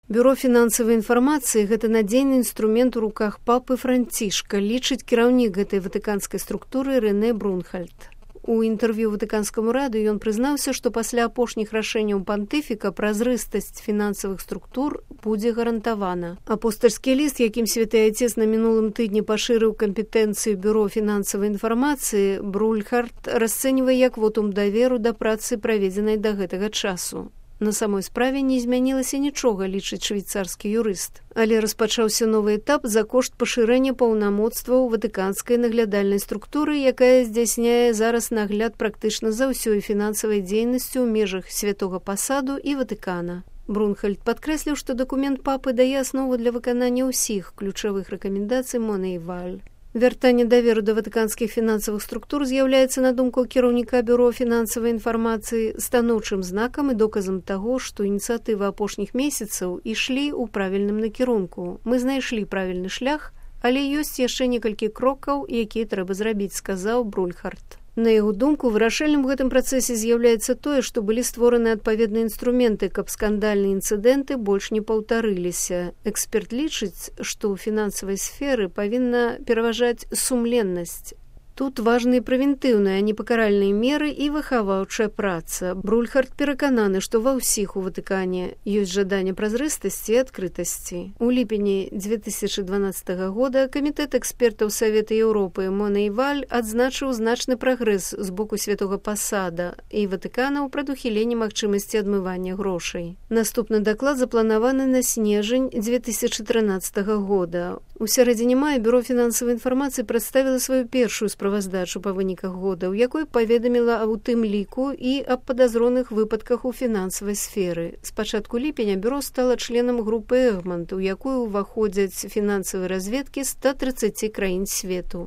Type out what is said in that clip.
Бюро фінансавай інфармацыі – гэта надзейны інструмент у руках папы Францішка, лічыць кіраўнік гэтай ватыканскай структуры Рэне Брунхальд. У інтэрв'ю ватыканскаму раду ён прызнаўся, што пасля апошніх рашэнняў пантыфіка празрыстасць фінансавых структур будзе гарантавана. Апостальскі ліст, якім святы айцец на мінулым тыдні пашырыў кампетэнцыю бюро фінансавай інфармацыі, Брунхальд расцэньвае як вотум даверу да працы, праведзенай да гэтага часу. На самой справе не змянілася нічога, лічыць швейцарскі юрыст. Але распачаўся новы этап за кошт пашырэння паўнамоцтваў ватыканскай наглядальнай структуры, якая здзяйсняе зараз нагляд практычна за ўсёй фінансавай дзейнасцю ў межах святога пасаду і Ватыкана. Брунхальд падкрэсліў, што дакумент папы дае аснову для выканання ўсіх ключавых рэкамендацый Монэйваль. Вяртанне даверу да ватыканскіх фінансавых структур з'яўляецца, на думку кіраўніка бюро фінансавай інфармацыі, станоўчым знакам і доказам таго, што ініцыятывы апошніх месяцаў ішлі ў правільным накірунку. Мы знайшлі правільны шлях, але ёсць яшчэ некалькі крокаў, якія трэба зрабіць, сказаў Брунхальд. На яго думку, вырашальным у гэтым працэсе з'яўляецца тое, што былі створаны адпаведныя інструменты, каб скандальныя інцыдэнты больш не паўтарыліся. Эксперт лічыць, што ў фінансавай сферы павінна пераважаць сумленнасць. Тут важны прэвентыўныя, а не пакаральныя меры і выхаваўчая праца. Брунхальд перакананы, што ва ўсіх у Ватыкане ёсць жаданне празрыстасці і адкрытасці. У ліпені 2012 года камітэт экспертаў Савета Еўропы Монэйваль адзначыў значны прагрэс з боку святога пасада і Ватыкана ў прадухіленні магчымасці адмывання грошай. Наступны даклад запланаваны на снежань 2013 года. У сярэдзіне мая бюро фінансавай інфармацыі прадставіла сваю першую справаздачу па выніках года, у якой паведаміла аб тым ліку і аб падазроных выпадках у фінансавай сферы. З пачатку ліпеня бюро стала членам групы Эгмонт, у якую ўваходзяць фінансавыя разведкі 130 краін свету.